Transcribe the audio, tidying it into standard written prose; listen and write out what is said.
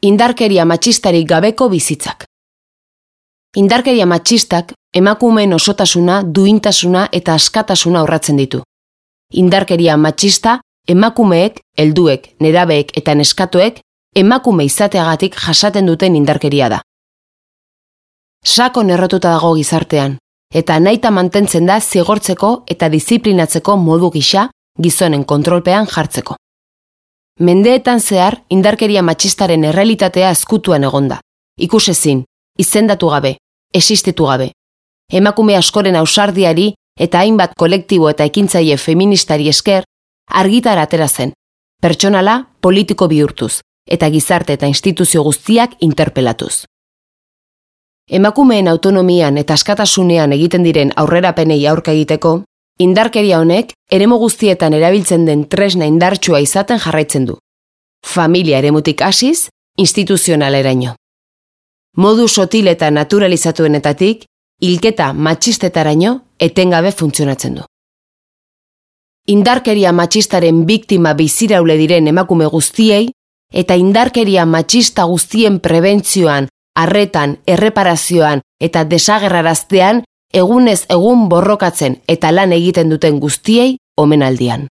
Indarkeria matxistarik gabeko bizitzak. Indarkeria matxistak emakumeen osotasuna, duintasuna eta askatasuna urratzen ditu. Indarkeria matxista emakumeek, helduek, nerabeek eta neskatoek emakume izateagatik jasaten duten indarkeria da. Sakon errotuta dago gizartean, eta nahita mantentzen da zigortzeko eta diziplinatzeko modu gisa gizonen kontrolpean jartzeko. Mendeetan zehar indarkeria matxistaren errealitatea ezkutuan egonda, ikusezin, izendatu gabe, existitu gabe. Emakume askoren ausardiari eta hainbat kolektibo eta ekintzaile feministari esker argitara atera zen, pertsonala politiko bihurtuz eta gizarte eta instituzio guztiak interpelatuz. Emakumeen autonomian eta askatasunean egiten diren aurrerapenei aurka egiteko, indarkeria honek eremu guztietan erabiltzen den tresna indartsua izaten jarraitzen du. Familia eremutik hasiz, instituzionaleraino. Modu sotil eta naturalizatuenetatik, hilketa matxistetaraino etengabe funtzionatzen du. Indarkeria matxistaren biktima biziraule diren emakume guztiei eta indarkeria matxista guztien prebentzioan, arretan, erreparazioan eta desagerraraztean egunez egun borrokatzen eta lan egiten duten guztiei omenaldian.